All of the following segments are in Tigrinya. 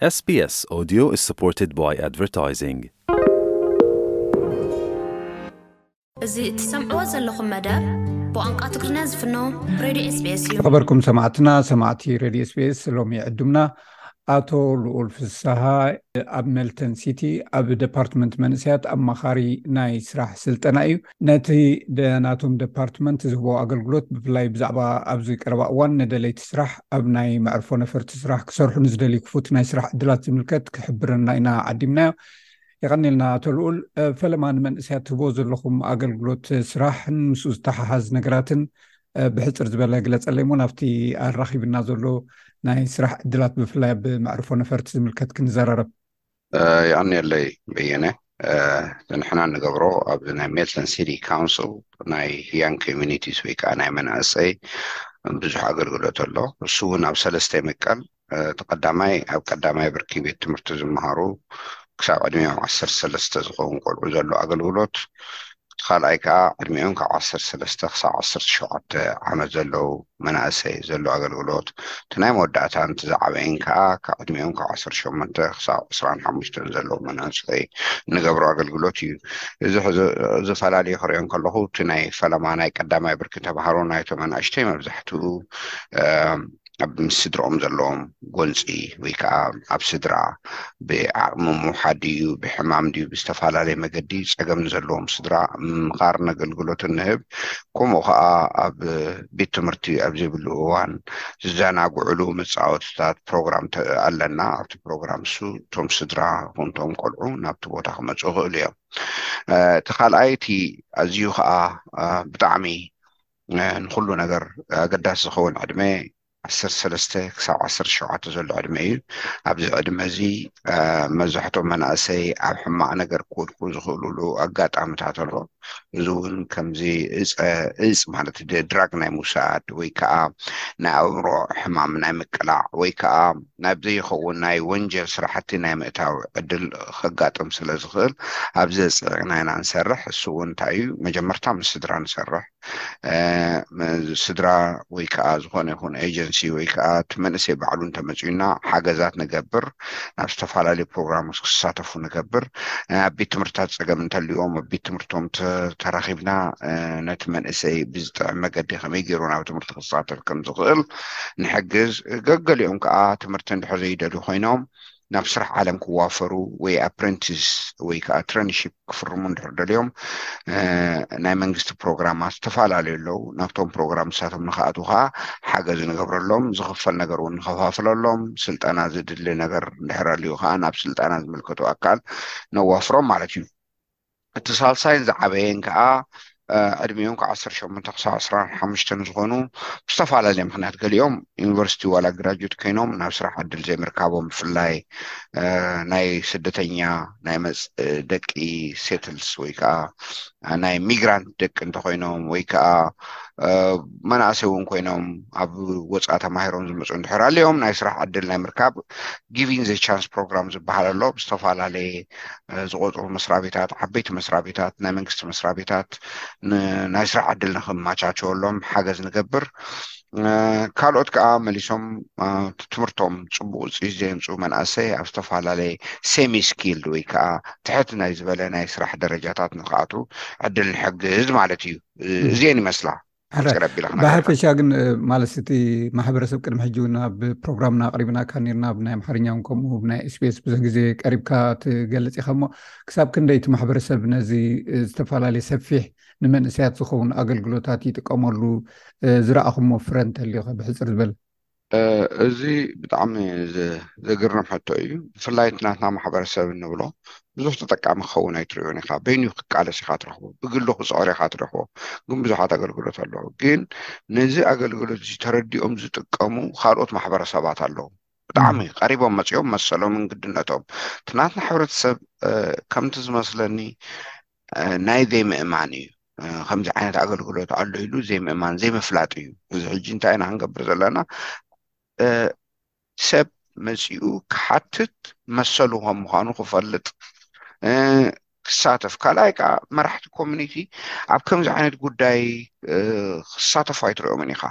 S B S Audio is supported by advertising. እዚ እትሰምዕዎ ዘለኹም መደብ ብቋንቋ ትግርኛ ዝፍኖ ሬድዮ SBS እዩ። ዝኸበርኩም ሰማዕትና፣ ሰማዕቲ ሬድዮ SBS፣ ሎሚ ዕዱምና ኣቶ ልኡል ፍስሃ ኣብ ሜልተን ሲቲ ኣብ ደፓርትመንት መንእሰያት ኣማኻሪ ናይ ስራሕ ስልጠና እዩ። ነቲ ደ- ናቶም ደፓርትመንት ዝህቦ ኣገልግሎት፣ ብፍላይ ብዛዕባ ኣብዚ ቀረባ እዋን ንደለይቲ ስራሕ ኣብ ናይ መዕርፎ ነፈርቲ ስራሕ ክሰርሑ ንዝደልዩ ክፉት ናይ ስራሕ ዕድላት ዝምልከት ክሕብረና ኢና ዓዲምናዮ። የቐኒልና ኣቶ ልኡል። ፈለማ ንመንእሰያት ትህቦ ዘለኹም ኣገልግሎት ስራሕን ምስኡ ዝተሓሓዝ ነገራትን ብሕፅር ዝበለ ግለፀለይ እሞ ናብቲ ኣራኺብና ዘሎ ናይ ስራሕ ዕድላት ብፍላይ ኣብ መዕርፎ ነፈርቲ ዝምልከት ክንዘራረብ። የቐንየለይ በየነ። ንሕና ንገብሮ ኣብዚ ናይ ሜልተን ሲቲ ካውንስል ናይ ያንግ ኮሚኒቲስ ወይ ከዓ ናይ መናእሰይ ብዙሕ ኣገልግሎት ኣሎ። እሱ እውን ኣብ ሰለስተ ይምቀል። እቲ ቀዳማይ ኣብ ቀዳማይ ብርኪ ቤት ትምህርቲ ዝመሃሩ ክሳብ ዕድሚኦም ዓሰርተ ሰለስተ ዝኸውን ቆልዑ ዘሎ ኣገልግሎት፣ እቲ ካልኣይ ከዓ ዕድሚኦም ካብ ዓሰርተ ሰለስተ ክሳብ ዓሰርተ ሸውዓተ ዓመት ዘለዉ መናእሰይ ዘሎ ኣገልግሎት፣ እቲ ናይ መወዳእታን እቲ ዝዓበየን ከዓ ካብ ዕድሚኦም ካብ ዓሰርተ ሸሞንተ ክሳብ ዕስራን ሓሙሽተን ዘለዉ መናእሰይ ንገብሮ ኣገልግሎት እዩ። እዚ ሕዚ- እዚ ፈላልዩ ክሪኦ እንከለኹ፣ እቲ ናይ ፈለማ ናይ ቀዳማይ ብርኪ ተምሃሮ ናይቶም ኣናእሽተይ መብዛሕትኡ ኣብ ምስ ስድርኦም ዘለዎም ጎንፂ ወይ ከዓ ኣብ ስድራ ብዓቕሚ ምውሓድ ድዩ ብሕማም ድዩ ብዝተፈላለየ መገዲ ፀገም ንዘለዎም ስድራ ምምኻርን ኣገልግሎትን ንህብ። ከምኡ ከዓ ኣብ ቤት ትምህርቲ ኣብ ዘይብሉ እዋን ዝዘናግዕሉ መፃወትታት ፕሮግራም ተ- ኣለና። ኣብቲ ፕሮግራም እሱ እቶም ስድራ ይኹን እቶም ቆልዑ ናብቲ ቦታ ክመፁ ይኽእሉ እዮም። እቲ ካልኣይ እቲ ኣዝዩ ከዓ ብጣዕሚ ንኩሉ ነገር ኣገዳሲ ዝኸውን ዕድመ ዓሰርተ ሰለስተ ክሳብ ዓሰርተ ሸውዓተ ዘሎ ዕድመ እዩ። ኣብዚ ዕድመ እዚ መብዛሕትኦም መናእሰይ ኣብ ሕማቕ ነገር ክወድቁ ዝኽእሉሉ ኣጋጣሚታት ኣሎ። እዚ እውን ከምዚ እፀ እፅ ማለት ድራግ ናይ ምውሳድ ወይ ከዓ ናይ ኣእምሮ ሕማም ናይ ምቅላዕ ወይ ከዓ ናብ ዘይኸውን ናይ ወንጀል ስራሕቲ ናይ ምእታው ዕድል ከጋጥም ስለ ዝኽእል ኣብዚ ኣፅዒቕና ኢና ንሰርሕ። እሱ እውን እንታይ እዩ? መጀመርታ ምስ ስድራ ንሰርሕ። ስድራ ወይ ከዓ ዝኾነ ይኹን ኤጀንሲ ወይ ከዓ እቲ መንእሰይ ባዕሉ እንተመፅዩና ሓገዛት ንገብር፣ ናብ ዝተፈላለዩ ፕሮግራም ክሳተፉ ንገብር። ኣብ ቤት ትምህርትታት ፀገም እንተልዎም ኣብ ቤት ትምህርቶም ተራኺብና ነቲ መንእሰይ ብዝጥዕም መገዲ ከመይ ገይሩ ናብ ትምህርቲ ክሳተፍ ከም ዝኽእል ንሕግዝ። ገገሊኦም ከዓ ትምህርቲ እንድሕር ዘይደልዩ ኮይኖም ናብ ስራሕ ዓለም ክዋፈሩ ወይ ኣፕረንቲስ ወይ ከዓ ትረንሺፕ ክፍርሙ እንድሕር ደልዮም ናይ መንግስቲ ፕሮግራማት ዝተፈላለዩ ኣለዉ። ናብቶም ፕሮግራም ንሳቶም ንክኣትዉ ከዓ ሓገዝ ንገብረሎም፣ ዝኽፈል ነገር እውን ንኸፋፍለሎም፣ ስልጠና ዝድሊ ነገር እንድሕር ኣልዩ ከዓ ናብ ስልጠና ዝምልከቱ ኣካል ነዋፍሮም ማለት እዩ። እቲ ሳልሳይን ዝዓበየን ከዓ ዕድሚኦም ካብ ዓሰርተ ሸሞንተ ክሳብ ዕስራን ሓሙሽተን ዝኾኑ ብዝተፈላለየ ምክንያት ገሊኦም ዩኒቨርሲቲ ዋላ ግራጁዌት ኮይኖም ናብ ስራሕ ዕድል ዘይምርካቦም ብፍላይ ናይ ስደተኛ ናይ መፅ ደቂ ሴትልስ ወይ ከዓ ናይ ሚግራንት ደቂ እንተኮይኖም ወይ ከዓ መናእሰይ እውን ኮይኖም ኣብ ወፃኢ ተማሂሮም ዝመፁ እንድሕር ኣልዮም ናይ ስራሕ ዕድል ናይ ምርካብ ጊቪንግ ዘ ቻንስ ፕሮግራም ዝበሃል ኣሎ። ብዝተፈላለየ ዝቆፅሩ መስራቤታት ዓበይቲ መስራቤታት ናይ መንግስቲ መስራቤታት ናይ ስራሕ ዕድል ንክማቻቸወሎም ሓገዝ ንገብር። ካልኦት ከዓ መሊሶም ትምህርቶም ፅቡቅ ውፅኢት ዘየምፅኡ መናእሰይ ኣብ ዝተፈላለየ ሴሚ ስኪልድ ወይ ከዓ ትሕት ናይ ዝበለ ናይ ስራሕ ደረጃታት ንክኣትዉ ዕድል ንሕግዝ ማለት እዩ። እዚኤን ይመስላ። ብሓፈሻ ግን ማለት እቲ ማሕበረሰብ ቅድሚ ሕጂ እውን ኣብ ፕሮግራምና ኣቅሪብናካ ነርና ብናይ ኣምሓርኛ እውን ከምኡ ብናይ SBS ብዙሕ ግዜ ቀሪብካ ትገልፅ ኢኻ እሞ ክሳብ ክንደይ እቲ ማሕበረሰብ ነዚ ዝተፈላለየ ሰፊሕ ንመንእሰያት ዝኸውን ኣገልግሎታት ይጥቀመሉ ዝረኣኹሞ ፍረ እንተልዩ ብሕፅር ዝበል። እዚ ብጣዕሚ ዘግርም ሕቶ እዩ። ብፍላይ እቲ ናትና ማሕበረሰብ እንብሎ ብዙሕ ተጠቃሚ ክኸውን ኣይትሪኦን ኢኻ። በይኑ ክቃለስ ኢኻ ትረኽቦ፣ ብግሉ ክፅዕር ኢኻ ትረኽቦ። ግን ብዙሓት ኣገልግሎት ኣለዉ። ግን ነዚ ኣገልግሎት እዚ ተረዲኦም ዝጥቀሙ ካልኦት ማሕበረሰባት ኣለዉ። ብጣዕሚ ቀሪቦም መፂኦም መሰሎምን ግድነቶም እቲ ናትና ሕብረተሰብ ከምቲ ዝመስለኒ ናይ ዘይምእማን እዩ። ከምዚ ዓይነት ኣገልግሎት ኣሎ ኢሉ ዘይምእማን ዘይምፍላጥ እዩ። እዚ ሕጂ እንታይ ኢና ክንገብር ዘለና? ሰብ መፂኡ ክሓትት መሰሉ ከም ምዃኑ ክፈልጥ ክሳተፍ። ካልኣይ ከዓ መራሕቲ ኮሚኒቲ ኣብ ከምዚ ዓይነት ጉዳይ ክሳተፉ ኣይትሪኦምን ኢኻ።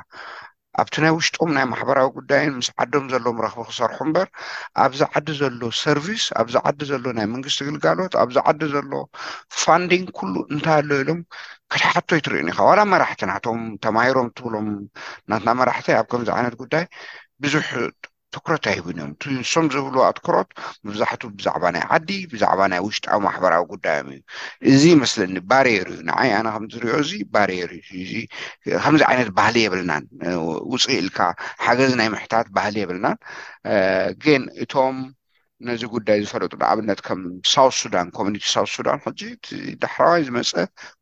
ኣብቲ ናይ ውሽጦም ናይ ማሕበራዊ ጉዳይን ምስ ዓዶም ዘለዎም ረኽቢ ክሰርሑ እምበር፣ ኣብዚ ዓዲ ዘሎ ሰርቪስ፣ ኣብዚ ዓዲ ዘሎ ናይ መንግስቲ ግልጋሎት፣ ኣብዚ ዓዲ ዘሎ ፋንዲንግ ኩሉ እንታይ ኣሎ ኢሎም ክትሓቶ ኣይትርእዩን ኢኻ። ዋላ መራሕቲ ናቶም ተማሂሮም ትብሎም ናትና መራሕቲ ኣብ ከምዚ ዓይነት ጉዳይ ብዙሕ ትኩረት ኣይህቡን እዮም። እቲ ንሶም ዝህብሉ ኣትኩሮት መብዛሕቱ ብዛዕባ ናይ ዓዲ፣ ብዛዕባ ናይ ውሽጣዊ ማሕበራዊ ጉዳዮም እዩ። እዚ ይመስለኒ ባሪየር እዩ። ንዓይ ኣነ ከም ዝሪኦ እዚ ባሪየር እዩ። እዚ ከምዚ ዓይነት ባህሊ የብልናን። ውፅእ ኢልካ ሓገዝ ናይ ምሕታት ባህሊ የብልናን። ግን እቶም ነዚ ጉዳይ ዝፈለጡ ንኣብነት ከም ሳውት ሱዳን፣ ኮሚኒቲ ሳውት ሱዳን ሕጂ እቲ ዳሕራዋይ ዝመፀ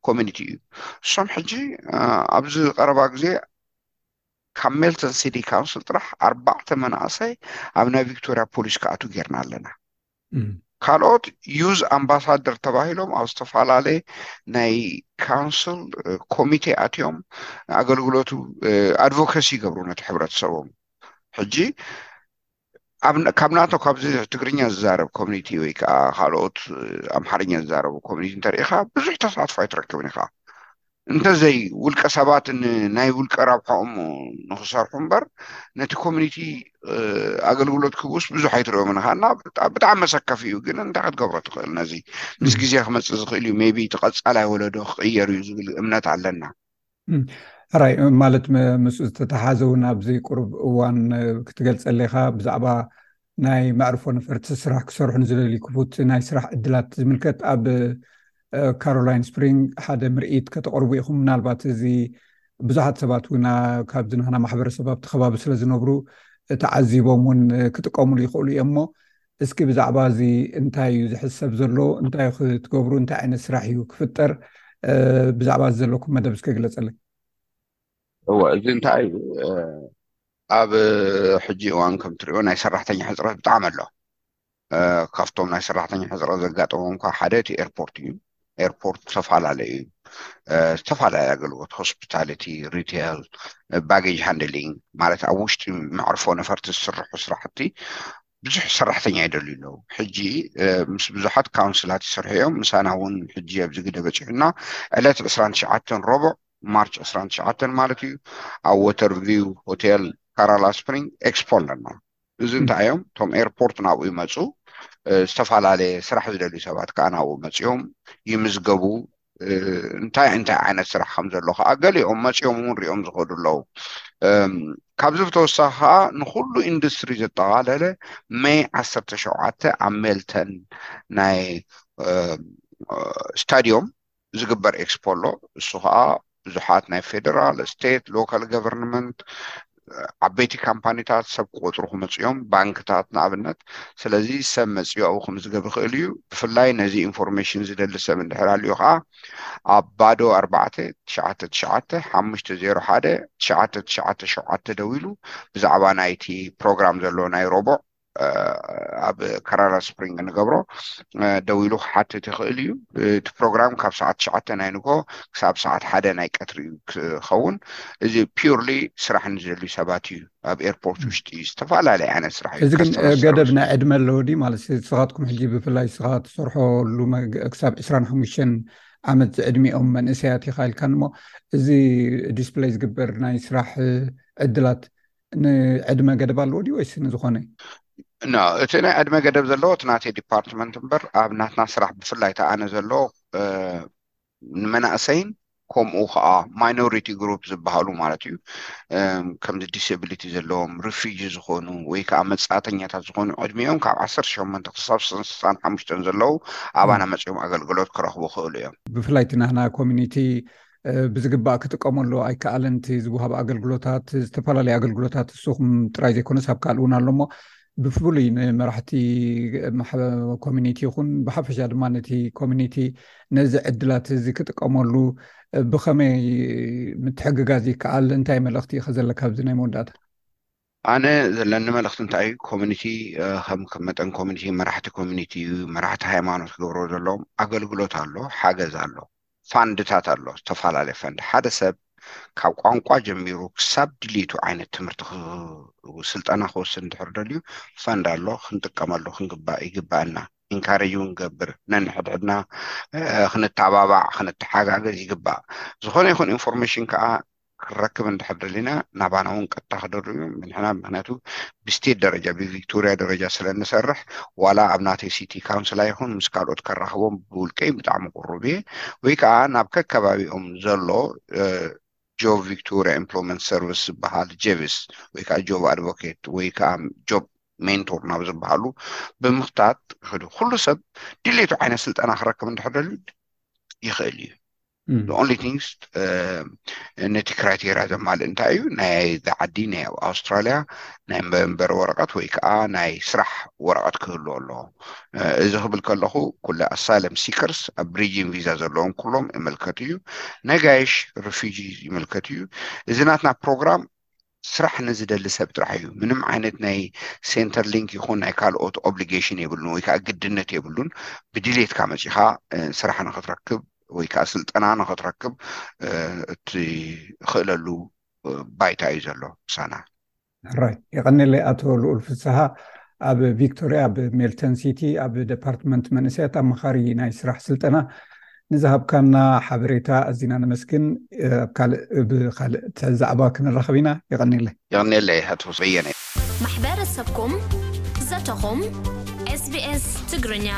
ኮሚኒቲ እዩ። እሶም ሕጂ ኣብዚ ቀረባ ግዜ ካብ ሜልተን ሲቲ ካውንስል ጥራሕ ኣርባዕተ መናእሰይ ኣብ ናይ ቪክቶሪያ ፖሊስ ክኣቱ ጌርና ኣለና። ካልኦት ዩዝ ኣምባሳደር ተባሂሎም ኣብ ዝተፈላለየ ናይ ካውንስል ኮሚቴ ኣትዮም ኣገልግሎቱ ኣድቮኬሲ ይገብሩ ነቲ ሕብረተሰቦም። ሕጂ ካብ ናቶ ካብዚ ትግርኛ ዝዛረብ ኮሚኒቲ ወይ ከዓ ካልኦት ኣምሓርኛ ዝዛረቡ ኮሚኒቲ እንተሪኢኻ ብዙሕ ተሳትፎ ኣይትረክብን ኢኻ። እንተዘይ ውልቀ ሰባት ናይ ውልቀ ረብሖኦም ንክሰርሑ እምበር ነቲ ኮሚኒቲ ኣገልግሎት ክብኡስ ብዙሕ ኣይትሪኦም ኢኻ እና ብጣዕሚ መሰከፊ እዩ። ግን እንታይ ክትገብሮ ትኽእል? ነዚ ምስ ግዜ ክመፅእ ዝኽእል እዩ። ሜቢ እቲ ቀፃላይ ወለዶ ክቕየር እዩ ዝብል እምነት ኣለና። ሕራይ ማለት ምስኡ ዝተተሓዘ እውን ኣብዚ ቁሩብ እዋን ክትገልፀለይ ኢኻ ብዛዕባ ናይ መዕርፎ ነፈርቲ ስራሕ ክሰርሑ ንዝደልዩ ክፉት ናይ ስራሕ ዕድላት ዝምልከት ኣብ ካሮላይን ስፕሪንግ ሓደ ምርኢት ከተቕርቡ ኢኹም። ምናልባት እዚ ብዙሓት ሰባት እውን ካብዚ ናህና ማሕበረሰብ ኣብቲ ከባቢ ስለ ዝነብሩ ተዓዚቦም እውን ክጥቀሙሉ ይኽእሉ እዮም። እሞ እስኪ ብዛዕባ እዚ እንታይ እዩ ዝሕሰብ ዘሎ? እንታይ እዩ ክትገብሩ? እንታይ ዓይነት ስራሕ እዩ ክፍጠር? ብዛዕባ እዚ ዘለኩም መደብ እስኪ ግለፀለይ። እወ፣ እዚ እንታይ እዩ? ኣብ ሕጂ እዋን ከም ትሪኦ ናይ ሰራሕተኛ ሕፅረት ብጣዕሚ ኣሎ። ካብቶም ናይ ሰራሕተኛ ሕፅረት ዘጋጠሞም እኳ ሓደ እቲ ኤርፖርት እዩ። ኤርፖርት ዝተፈላለዩ ዝተፈላለዩ ኣገልግሎት፣ ሆስፒታሊቲ፣ ሪቴል፣ ባጌጅ ሃንድሊንግ፣ ማለት ኣብ ውሽጢ መዕርፎ ነፈርቲ ዝስርሑ ስራሕቲ ብዙሕ ሰራሕተኛ ይደልዩ ኣለዉ። ሕጂ ምስ ብዙሓት ካውንስላት ይሰርሑ እዮም። ምሳና እውን ሕጂ ኣብዚ ግደ በፂሑና ዕለት ዕስራን ትሽዓተን ረቡዕ ማርች ዕስራን ትሽዓተን ማለት እዩ ኣብ ወተርቪው ሆቴል ካራላ ስፕሪንግ ኤክስፖ ኣለና። እዚ እንታይ እዮም? እቶም ኤርፖርት ናብኡ ይመፁ፣ ዝተፈላለየ ስራሕ ዝደልዩ ሰባት ከዓ ናብኡ መፂኦም ይምዝገቡ። እንታይ እንታይ ዓይነት ስራሕ ከም ዘሎ ከዓ ገሊኦም መፂኦም እውን ሪኦም ዝኸዱ ኣለዉ። ካብዚ ብተወሳኺ ከዓ ንኩሉ ኢንዱስትሪ ዘጠቓለለ መይ ዓሰርተ ሸውዓተ ኣብ ሜልተን ናይ ስታዲዮም ዝግበር ኤክስፖ ኣሎ። እሱ ከዓ ብዙሓት ናይ ፌደራል፣ ስቴት፣ ሎካል ገቨርንመንት፣ ዓበይቲ ካምፓኒታት ሰብ ክቆፅሩ ክመፅኡ እዮም፣ ባንክታት ንኣብነት። ስለዚ ሰብ መፅኡ ኣብኡ ክምዝገብ ይኽእል እዩ። ብፍላይ ነዚ ኢንፎርሜሽን ዝደሊ ሰብ እንድሕር ኣልዩ ከዓ ኣብ ባዶ ኣርባዕተ ትሽዓተ ትሽዓተ ሓሙሽተ ዜሮ ሓደ ትሽዓተ ትሽዓተ ሸውዓተ ደዊሉ ብዛዕባ ናይቲ ፕሮግራም ዘሎ ናይ ረቡዕ ኣብ ካራራ ስፕሪንግ ንገብሮ ደዊሉ ክሓትት ይኽእል እዩ። እቲ ፕሮግራም ካብ ሰዓት ትሽዓተ ናይ ንግሆ ክሳብ ሰዓት ሓደ ናይ ቀትሪ እዩ ክኸውን። እዚ ፒውርሊ ስራሕ ንዝደልዩ ሰባት እዩ። ኣብ ኤርፖርት ውሽጢ ዝተፈላለዩ ዓይነት ስራሕ እዩ። እዚ ግን ገደብ ናይ ዕድመ ኣለዎ ድዩ? ማለት ንስኻትኩም ሕጂ ብፍላይ ንስኻ ትሰርሖሉ ክሳብ ዕስራን ሓሙሽተን ዓመት ዝዕድሚኦም መንእሰያት ኢኻ ኢልካን እሞ እዚ ዲስፕለይ ዝግበር ናይ ስራሕ ዕድላት ንዕድመ ገደብ ኣለዎ ድዩ ወይስ ንዝኾነ? ኖ፣ እቲ ናይ ዕድመ ገደብ ዘለዎ እቲ ናተይ ዲፓርትመንት እምበር ኣብ ናትና ስራሕ ብፍላይ ተኣነ ዘሎ ንመናእሰይን ከምኡ ከዓ ማይኖሪቲ ግሩፕ ዝበሃሉ ማለት እዩ። ከምዚ ዲስብሊቲ ዘለዎም ሪፊጂ ዝኾኑ ወይ ከዓ መፃእተኛታት ዝኾኑ ዕድሚኦም ካብ ዓሰርተ ሸሞንተ ክሳብ ስሳን ሓሙሽተን ዘለዉ ኣባና መፅኦም ኣገልግሎት ክረኽቡ ክእሉ እዮም። ብፍላይ እቲ ናህና ኮሚኒቲ ብዝግባእ ክጥቀመሉ ኣይከኣለን። እቲ ዝወሃብ ኣገልግሎታት ዝተፈላለዩ ኣገልግሎታት ንስኹም ጥራይ ዘይኮነስ ኣብ ካልእ እውን ኣሎ እሞ ብፍሉይ ንመራሕቲ ኮሚኒቲ ይኹን ብሓፈሻ ድማ ነቲ ኮሚኒቲ ነዚ ዕድላት እዚ ክጥቀመሉ ብኸመይ ምትሕግጋዝ ይከኣል? እንታይ መልእኽቲ ኢኸ ዘለካ ኣብዚ ናይ መወዳእታ? ኣነ ዘለኒ መልእኽቲ እንታይ እዩ? ኮሚኒቲ ከም ከም መጠን ኮሚኒቲ መራሕቲ ኮሚኒቲ መራሕቲ ሃይማኖት ክገብሮ ዘለዎም ኣገልግሎት ኣሎ፣ ሓገዝ ኣሎ። ፋንድታት ኣሎ፣ ዝተፈላለየ ፈንድ። ሓደ ሰብ ካብ ቋንቋ ጀሚሩ ክሳብ ድልይቱ ዓይነት ትምህርቲ ስልጠና ክወስድ እንድሕር ደልዩ ፈንድ ኣሎ፣ ክንጥቀመሉ ክንግባእ ይግባእና። ኢንካሬጅ እውን ገብር ነንሕድሕድና ክንተባባዕ ክንተሓጋገዝ ይግባእ። ዝኾነ ይኹን ኢንፎርሜሽን ከዓ ክረክብ እንድሕር ደሊና ናባና እውን ቀጥታ ክደርብ እዩ። ንሕና ምክንያቱ ብስቴት ደረጃ ብቪክቶሪያ ደረጃ ስለ እንሰርሕ ዋላ ኣብ ናተይ ሲቲ ካውንስል ኣይኹን ምስ ካልኦት ከራኽቦም ብውልቀይ ብጣዕሚ ቅሩብ እየ። ወይ ከዓ ናብ ከከባቢኦም ዘሎ ጆብ ቪክቶሪያ ኤምፕሎይመንት ሰርቪስ ዝበሃል ጀቪስ ወይ ከዓ ጆብ ኣድቮኬት ወይ ከዓ ጆብ ሜንቶር ናብ ዝበሃሉ ብምኽታት ይኸዱ። ኩሉ ሰብ ድሌቱ ዓይነት ስልጠና ክረክብ እንድሕር ደልዩ ይኽእል እዩ። The only things ነቲ ክራይቴሪያ ዘማልእ እንታይ እዩ? ናይ ዓዲ ናይ ኣብ ኣውስትራሊያ ናይ መንበሪ ወረቐት ወይ ከዓ ናይ ስራሕ ወረቐት ክህሉ ኣለዎ። እዚ ክብል ከለኹ ኩለ ኣሳይለም ሲከርስ ኣብ ብሪጅን ቪዛ ዘለዎም ኩሎም ይምልከት እዩ። ነጋይሽ ሪፊጂ ይምልከት እዩ። እዚ ናትና ፕሮግራም ስራሕ ንዝደሊ ሰብ ጥራሕ እዩ። ምንም ዓይነት ናይ ሴንተር ሊንክ ይኹን ናይ ካልኦት ኦብሊጌሽን የብሉን ወይ ከዓ ግድነት የብሉን። ብድሌትካ መፂኻ ስራሕ ንክትረክብ ወይ ከዓ ስልጠና ንክትረክብ እትኽእለሉ ባይታ እዩ ዘሎ ምሳና። ሕራይ የቐኒለይ ኣቶ ልኡል ፍስሃ። ኣብ ቪክቶሪያ ኣብ ሜልተን ሲቲ ኣብ ዲፓርትመንት መንእሰያት ኣማኻሪ ናይ ስራሕ ስልጠና ንዝሃብካና ሓበሬታ ኣዚና ነመስግን። ኣብ ካልእ ብካልእ ዛዕባ ክንራኸብ ኢና። የቐኒለይ። የቐኒለይ ኣቶ በየነ። ማሕበረሰብኩም ዘተኹም ኤስቢኤስ ትግርኛ።